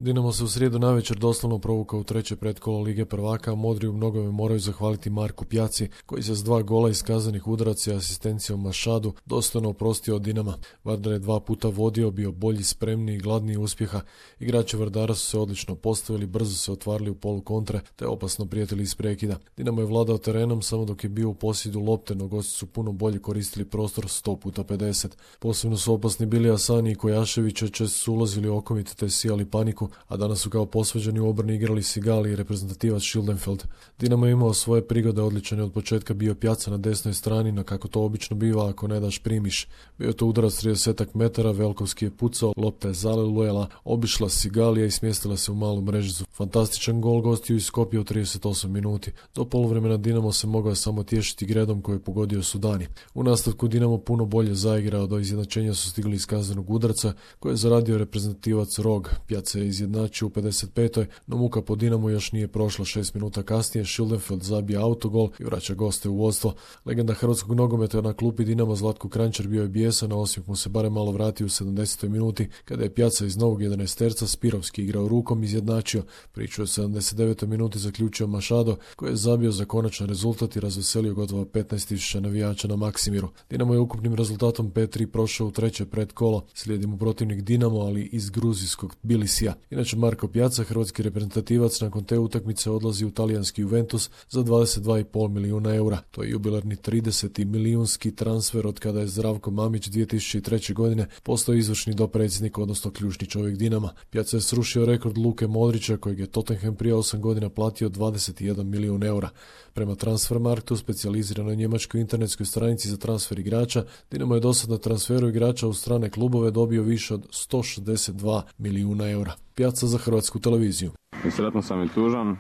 Dinamo se u srijedu navečer doslovno provukao u treće pretkolo Lige prvaka, a modri u mnogome moraju zahvaliti Marku Pjaci, koji se s 2 gola iz kazanih udaraca i asistencijom Mašadu dostojno oprostio od Dinama. Vardar je 2 puta vodio, bio bolji, spremniji i gladniji uspjeha. Igrači Vardara su se odlično postavili, brzo se otvarali u polu kontre, te opasno prijetili iz prekida. Dinamo je vladao terenom samo dok je bio u posjedu lopte, no gosti su puno bolje koristili prostor 100x50. Posebno su opasni bili Asani i Kojašević, često su ulazili okomit te sijali paniku, a danas su kao posvađani u obrani igrali Sigali i reprezentativac Schildenfeld. Dinamo je imao svoje prigode, odličan je od početka bio Pjaca na desnoj strani, no kako to obično biva, ako ne daš primiš. Bio to udarac 30 metara, Velkovski je pucao, lopta je zalelujela, obišla Sigalija i smjestila se u malu mrežicu. Fantastičan gol gostiju iz Skopja u 38 minuti. Do poluvremena Dinamo se mogao samo tješiti Gredom koji je pogodio Sudani. U nastavku Dinamo puno bolje zaigrao, do izjednačenja su stigli iz kaznenog udarca koje je zaradio reprezentativac Rog. Pjaca je izjednačio u 55. no muka po Dinamu još nije prošla. 6 minuta kasnije Schildenfeld zabija autogol i vraća goste u vodstvo. Legenda hrvatskog nogometa na klupi Dinama Zlatko Kranjčar bio je bijesan, a Osijek mu se barem malo vratio u 70. minuti kada je Pjaca iz novog 11-terca Spirovski igrao rukom izjednačio. Priču u 79. minuti zaključio Mašado koji je zabio za konačan rezultat i razveselio gotovo 15.000 navijača na Maksimiru. Dinamo je ukupnim rezultatom 5-3 prošao u treće predkolo. Slijedi mu protivnik Dinamo, ali iz gruzijskog Tbilisija. Inače Marko Pjaca, hrvatski reprezentativac, nakon te utakmice odlazi u talijanski Juventus za 22,5 milijuna eura. To je jubilarni 30. milijunski transfer od kada je Zdravko Mamić 2003. godine postao izvršni dopredsjednik, odnosno ključni čovjek Dinama. Pjaca je srušio rekord Luke Modrića, kojeg je Tottenham prije 8 godina platio 21 milijun eura. Prema Transfermarktu, specijaliziranoj njemačkoj internetskoj stranici za transfer igrača, Dinamo je dosad na transferu igrača u strane klubove dobio više od 162 milijuna eura. Pjaca za Hrvatsku televiziju. I sretno sam i tužan.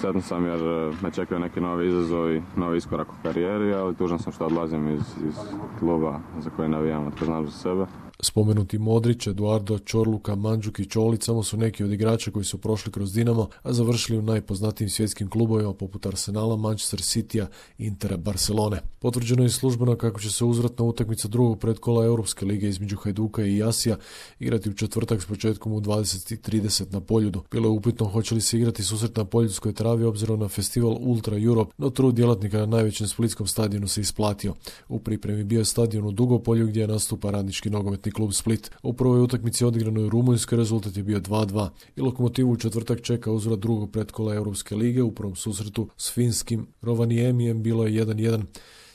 Sretno sam jer me čekaju neki novi izazovi, novi iskorak u karijeri, ali tužan sam što odlazim iz kluba za koji navijam, to znam za sebe. Spomenuti Modrić, Eduardo, Čorluka, Mandžuk i Čolić samo su neki od igrača koji su prošli kroz Dinamo, a završili u najpoznatijim svjetskim klubovima poput Arsenala, Manchester Citya, Intera, Barcelone. Potvrđeno je službeno kako će se uzvratna utakmica drugog predkola Europske lige između Hajduka i Jasija igrati u četvrtak s početkom u 20:30 na Poljudu. Bilo je upitno hoće li se igrati susret na poljudskoj travi obzirom na festival Ultra Europe, no trud djelatnika na najvećem splitskom stadionu se isplatio. U pripremi bio je stadion u Dugopolju gdje nastupa radnički nogometni klub Split. U prvoj utakmici odigranoj u Rumunjskoj rezultat je bio 2:2 i Lokomotivu u četvrtak čeka uzvrat drugog pretkola Europske lige. U prvom susretu s finskim Rovaniemijem bilo je 1:1.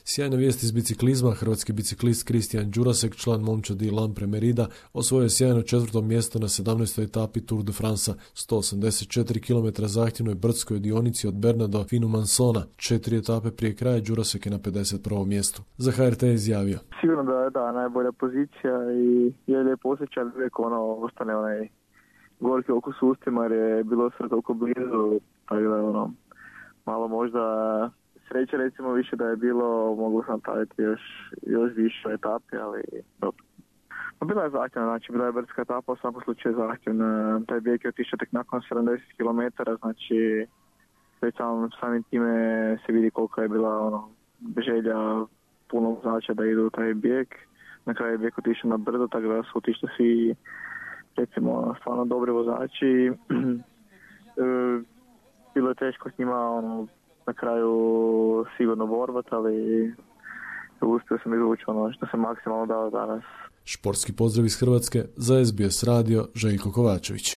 Sjajna vijest iz biciklizma, hrvatski biciklist Kristijan Đurasek, član momčadi Lampre Merida, osvojio je sjajno 4. mjesto na 17. etapi Tour de France, 184 km zahtjevnoj brdskoj dionici od Berna do Finumansona. 4 etape prije kraja Đurasek je na 51. mjestu. Za HRT je izjavio: Sigurno da je najbolja pozicija i je lijepo osjećaj, uvijek ostane onaj gorki okus u ustima jer je bilo sve toliko blizu, tako da malo možda sreće recimo više da je bilo, moglo sam staviti još više etape, ali dobro. Bila je zahtjevna, znači bila je brdska etapa, u svakom slučaju zahtjevna. Taj bijeg je otišao tek nakon 70 km, znači već samim time se vidi koliko je bila želja puno vozača da idu u taj bijeg. Na kraju je bijeg otišao na brdo, tako da su otišli svi recimo stvarno dobri vozači. Bilo je teško s njima na kraju sigurno borbat, ali uspio sam izvući što sam maksimalno dao danas. Športski pozdrav iz Hrvatske, za SBS radio Željko Kovačević.